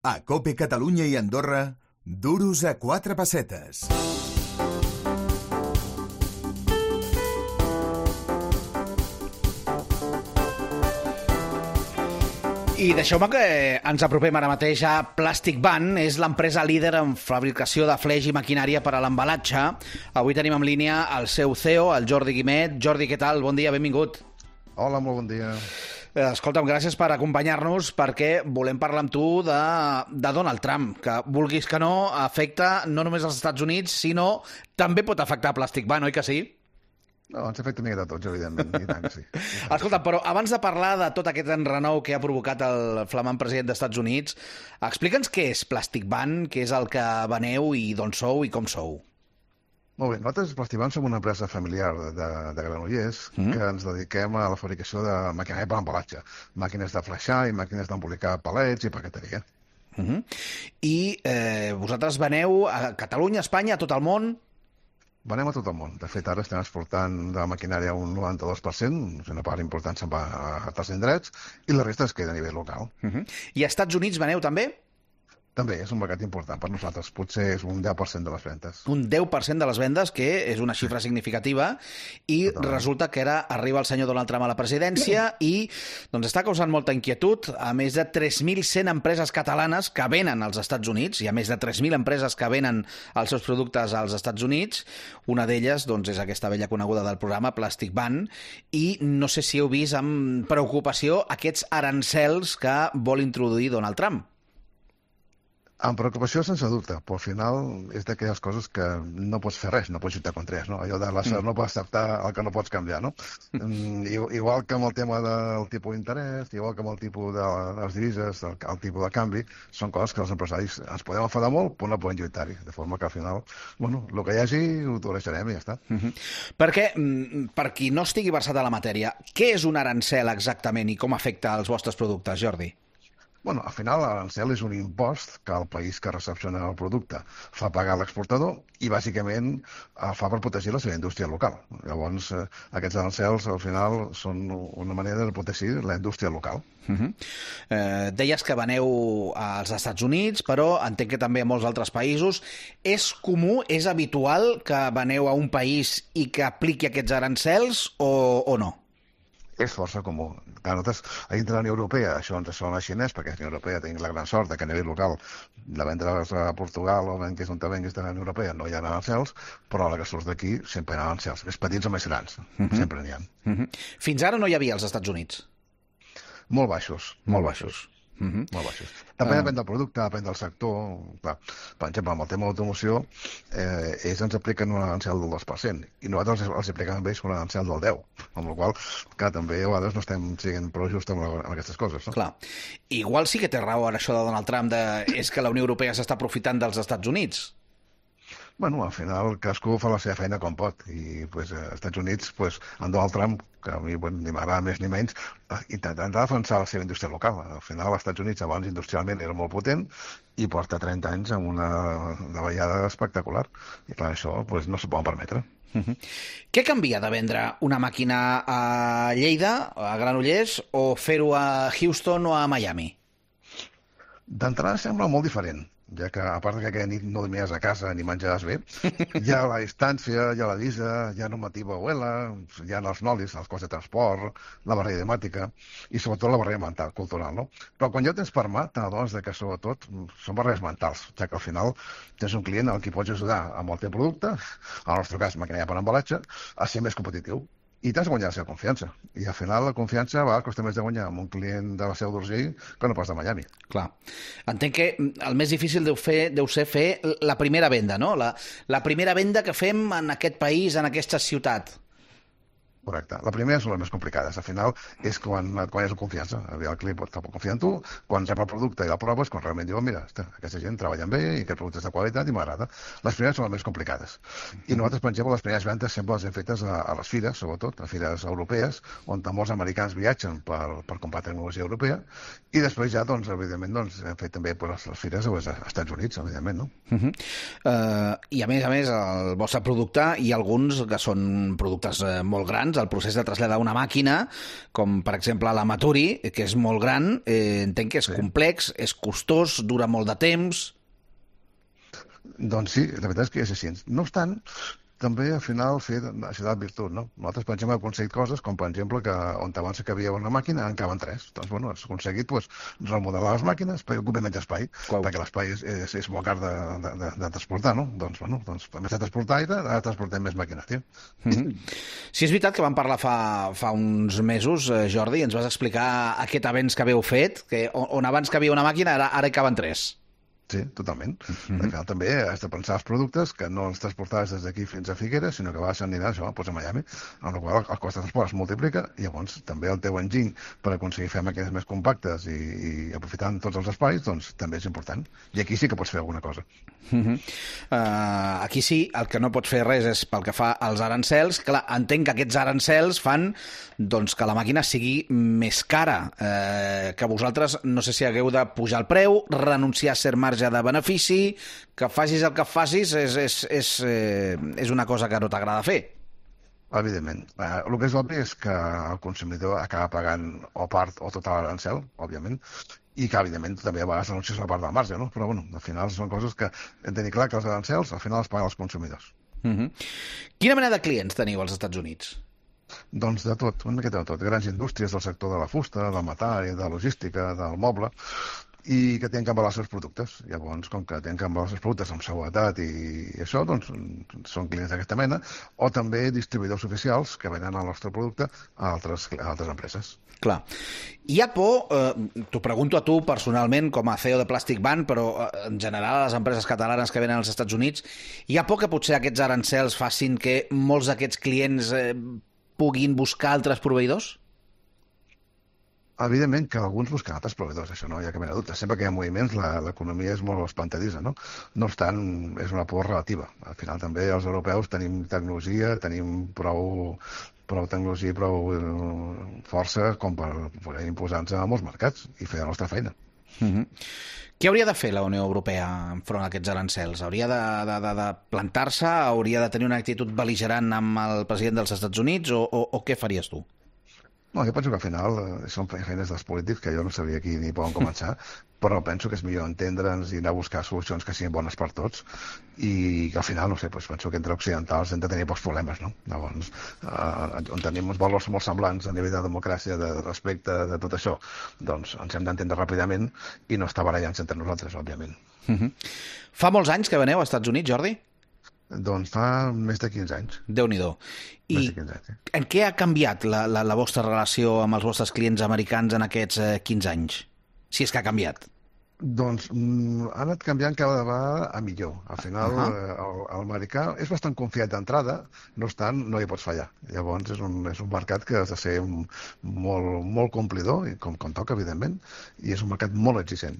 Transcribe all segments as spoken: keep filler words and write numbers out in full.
A COPE Catalunya i Andorra, duros a quatre pessetes. I deixeu-me que ens apropem ara mateix a Plastic Van. És l'empresa líder en fabricació de fleix i maquinària per a l'embalatge. Avui tenim en línia el seu C E O, el Jordi Guimet. Jordi, què tal? Bon dia, benvingut. Hola, molt bon dia. Escolta'm, gràcies per acompanyar-nos, perquè volem parlar amb tu de, de Donald Trump, que, vulguis que no, afecta no només als Estats Units, sinó també pot afectar Plastic Van, oi que sí? No, ens afecta una mica de tots, evidentment, i tant que sí. Escolta, però abans de parlar de tot aquest enrenou que ha provocat el flamant president dels Estats Units, explica'ns què és Plastic Van, què és el que veneu i d'on sou i com sou. Molt bé, nosaltres, Plastic Van, som una empresa familiar de, de Granollers mm. que ens dediquem a la fabricació de maquinària per embalatge, màquines de flexar i màquines d'embolicar palets i paqueteria. Mm -hmm. I eh, vosaltres veneu a Catalunya, a Espanya, a tot el món? Venem a tot el món. De fet, ara estem exportant de maquinària un noranta-dos per cent, una part important se'n va a altres indrets, i la resta es queda a nivell local. Mm -hmm. I als Estats Units veneu també? També és un mercat important per nosaltres. Potser és un deu per cent de les vendes. Un deu per cent de les vendes, que és una xifra significativa, i Totalment. Resulta que ara arriba el senyor Donald Trump a la presidència i doncs, està causant molta inquietud. A més de tres mil cent empreses catalanes que venen als Estats Units, i a més de tres mil empreses que venen els seus productes als Estats Units. Una d'elles doncs, és aquesta vella coneguda del programa, Plastic Van, i no sé si heu vist amb preocupació aquests arancels que vol introduir Donald Trump. Amb preocupació, sense dubte, però al final és d'aquelles coses que no pots fer res, no pots lluitar contra res, no? Allò de l'ésser mm. no pots acceptar el que no pots canviar, no? mm, igual que amb el tema del tipus d'interès, igual que amb el tipus de les divises, el, el tipus de canvi, són coses que els empresaris ens podem enfadar molt, però no podem lluitar-hi, de forma que al final, bueno, el que hi hagi ho tolerarem i ja està. Mm -hmm. Perquè, per qui no estigui versat a la matèria, què és un arancel exactament i com afecta els vostres productes, Jordi? Bueno, al final l'arancel és un impost que el país que recepciona el producte fa pagar l'exportador i bàsicament el fa per protegir la seva indústria local. Llavors, eh, aquests arancels al final són una manera de protegir la indústria local. Uh -huh. eh, deies que veneu als Estats Units, però entenc que també a molts altres països. És comú, és habitual que veneu a un país i que apliqui aquests arancels o, o no? És força comú. A nosaltres, a dintre de la Unió Europea, això ens sona xinès, perquè a la Unió Europea tenim la gran sort que a nivell local, de vendre's a Portugal o que és on te venguis de la Unió Europea, no hi ha arancels, però a la que surts d'aquí sempre hi ha arancels. És petits o més grans, uh-huh. sempre n'hi ha. Uh-huh. Fins ara no hi havia als Estats Units? Molt baixos, molt, molt baixos. baixos. Uh-huh. Molt baixos. També uh... depèn del producte, depèn del sector. Clar, per exemple, amb el tema d'automoció, eh, ells ens apliquen un arancel del dos per cent i nosaltres els apliquem amb ells un arancel del deu per cent, amb la qual cosa, també a vegades no estem sent prou just amb, amb aquestes coses. No? Clar. Igual sí que té raó ara això de Donald Trump, de... és que la Unió Europea s'està aprofitant dels Estats Units. Bueno, al final cadascú fa la seva feina com pot i pues, als Estats Units, pues, en Donald Trump, que a mi bueno, ni m'agrada més ni menys, intentant defensar la seva indústria local. Al final, als Estats Units abans industrialment era molt potent i porta trenta anys amb una davallada espectacular. I clar, això pues, no s'ho poden permetre. Uh -huh. Què canvia de vendre una màquina a Lleida, a Granollers, o fer-ho a Houston o a Miami? D'entrada sembla molt diferent, ja que, a part que aquella nit no dormies a casa ni menjaves bé, hi ha la distància, hi ha la visa, hi ha normativa U E L A, hi ha els nolis, els costs de transport, la barrera idemàtica i sobretot la barrera mental, cultural, no? Però quan ja ho tens per mà, t'adones que sobretot són barreres mentals, ja que al final tens un client al qui pots ajudar amb el teu producte, en el nostre cas maquinària per embalatge, a ser més competitiu. I t'has de guanyar la seva confiança. I al final la confiança va costa més de guanyar amb un client de la Seu d'Urgell que no pas de Miami. Clar. Entenc que el més difícil deu, fer, deu ser fer la primera venda, no? La, la primera venda que fem en aquest país, en aquesta ciutat. Correcte. La primera són les més complicades. Al final és quan et guanyes la confiança. El client pot confiar en tu, quan rep el producte i el proves, quan realment diuen, mira, aquesta gent treballa bé i aquest producte és de qualitat i m'agrada. Les primeres són les més complicades. I nosaltres, per exemple, les primeres vendes sempre les hem fetes a, a les fires, sobretot, a fires europees, on molts americans viatgen per, per comprar tecnologia europea, i després ja, doncs, evidentment, doncs, hem fet també pues, les fires als Estats Units, evidentment, no? Uh -huh. uh, I a més a més, el vostre producte, hi ha alguns que són productes uh, molt grans, abans, el procés de traslladar una màquina, com per exemple la Maturi, que és molt gran, eh, entenc que és sí. complex, és costós, dura molt de temps... Doncs sí, la veritat és que és així. No obstant, també al final fer això de virtut, no? Nosaltres, per exemple, hem aconseguit coses com, per exemple, que on abans que havia una màquina en caben tres. Doncs, bueno, has aconseguit pues, remodelar les màquines perquè ocupen menys espai, Uau. perquè l'espai és, és, és molt car de, de, de, de transportar, no? Doncs, bueno, doncs, a més de transportar aire, ara transportem més màquines, tio. Mm-hmm. Sí, és veritat que vam parlar fa, fa uns mesos, eh, Jordi, ens vas explicar aquest avenç que haveu fet, que on, on abans que havia una màquina, ara, ara hi caben tres. Sí, totalment. Mm-hmm. Al final també has de pensar els productes que no els transportaves des d'aquí fins a Figueres, sinó que vas anirà això, doncs a Miami, amb la qual el cost de transport es multiplica i llavors també el teu enginy per aconseguir fer màquines més compactes i, i aprofitant tots els espais, doncs també és important. I aquí sí que pots fer alguna cosa. Mm-hmm. uh, aquí sí, el que no pots fer res és pel que fa als arancels. Clar, entenc que aquests arancels fan doncs, que la màquina sigui més cara, eh, que vosaltres no sé si hagueu de pujar el preu, renunciar a ser marge de benefici, que facis el que facis és, és, és, eh, és una cosa que no t'agrada fer. Evidentment. Eh, el que és obvi és que el consumidor acaba pagant o part o tot l'arancel, òbviament, i que, evidentment, també a vegades anuncies la part del marge, no? Però, bueno, al final són coses que hem de tenir clar que els arancels al final els paguen els consumidors. Mm-hmm. Quina mena de clients teniu als Estats Units? Doncs de tot, una miqueta de tot. Grans indústries del sector de la fusta, del metall, de la logística, del moble, i que tenen que embalar els seus productes. Llavors, com que tenen que embalar els seus productes amb seguretat i això, doncs són clients d'aquesta mena, o també distribuïdors oficials que venen el nostre producte a altres, a altres empreses. Clar. Hi ha por, eh, t'ho pregunto a tu personalment com a C E O de Plastic Ban, però eh, en general a les empreses catalanes que venen als Estats Units, hi ha por que potser aquests arancels facin que molts d'aquests clients eh, puguin buscar altres proveïdors? Evidentment que alguns busquen altres proveïdors, això no hi ha cap mena de dubte. Sempre que hi ha moviments, l'economia és molt espantadissa, no? No obstant, és una por relativa. Al final també els europeus tenim tecnologia, tenim prou, prou tecnologia i prou força com per poder imposar-nos a molts mercats i fer la nostra feina. Mm-hmm. Què hauria de fer la Unió Europea enfront a aquests arancels? Hauria de, de, de, de plantar-se? Hauria de tenir una actitud bel·ligerant amb el president dels Estats Units? O, o, o què faries tu? No, jo penso que al final eh, són feines dels polítics que jo no sabria aquí ni poden començar, però penso que és millor entendre'ns i anar a buscar solucions que siguin bones per tots i que al final, no sé, doncs penso que entre occidentals hem de tenir pocs problemes, no? Llavors, eh, on tenim uns valors molt semblants a nivell de democràcia, de respecte, de tot això, doncs ens hem d'entendre ràpidament i no estar barallant-se entre nosaltres, òbviament. Mm-hmm. Fa molts anys que veneu als Estats Units, Jordi? Doncs fa més de quinze anys. Déu-n'hi-do. I quinze anys, sí. En què ha canviat la, la, la vostra relació amb els vostres clients americans en aquests eh, quinze anys? Si és que ha canviat. Doncs mm, ha anat canviant cada vegada a millor. Al final, uh -huh. el, el americà és bastant confiat d'entrada, no obstant, no hi pots fallar. Llavors, és un, és un mercat que has de ser molt, molt complidor, i com, com toca, evidentment, i és un mercat molt exigent.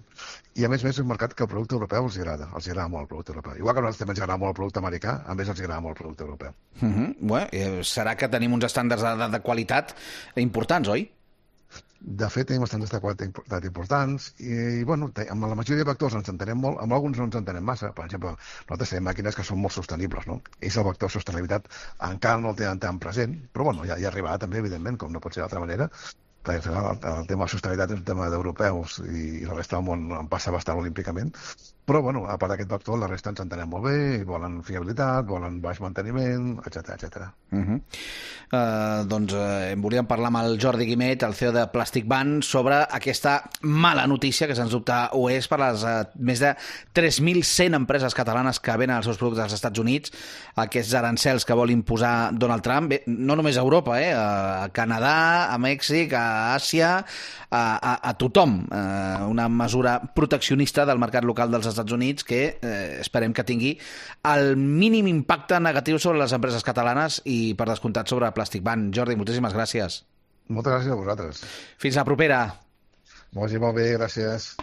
I, a més a més, és un mercat que el producte europeu els agrada. Els agrada molt el producte europeu. Igual que a nosaltres també ens agrada molt el producte americà, a més els agrada molt el producte europeu. Uh -huh. Bé, eh, serà que tenim uns estàndards de, de qualitat importants, oi? De fet, tenim estàndards de qualitat importants i, i bueno, amb la majoria de vectors ens entenem molt, amb alguns no ens entenem massa. Per exemple, nosaltres tenim màquines que són molt sostenibles, no? Ells el vector de sostenibilitat encara no el tenen tan present, però bueno, ja, ja arribarà també, evidentment, com no pot ser d'altra manera, perquè el, el tema de sostenibilitat és un tema d'europeus i, i la resta del món en passa bastant olímpicament. Però, bueno, a part d'aquest vector, la resta ens entenem molt bé, volen fiabilitat, volen baix manteniment, etcètera, etcètera. Uh-huh. Uh, doncs uh, em volíem parlar amb el Jordi Guimet, el C E O de Plastic Ban, sobre aquesta mala notícia, que sens dubte ho és per les uh, més de tres mil cent empreses catalanes que venen els seus productes als Estats Units, aquests arancels que vol imposar Donald Trump, bé, no només a Europa, eh, a Canadà, a Mèxic, a Àsia, a, a, a tothom. Uh, una mesura proteccionista del mercat local dels Estats Units que eh, esperem que tingui el mínim impacte negatiu sobre les empreses catalanes i, per descomptat, sobre Plastic Ban. Jordi, moltíssimes gràcies. Moltes gràcies a vosaltres. Fins la propera. Molt bé, gràcies.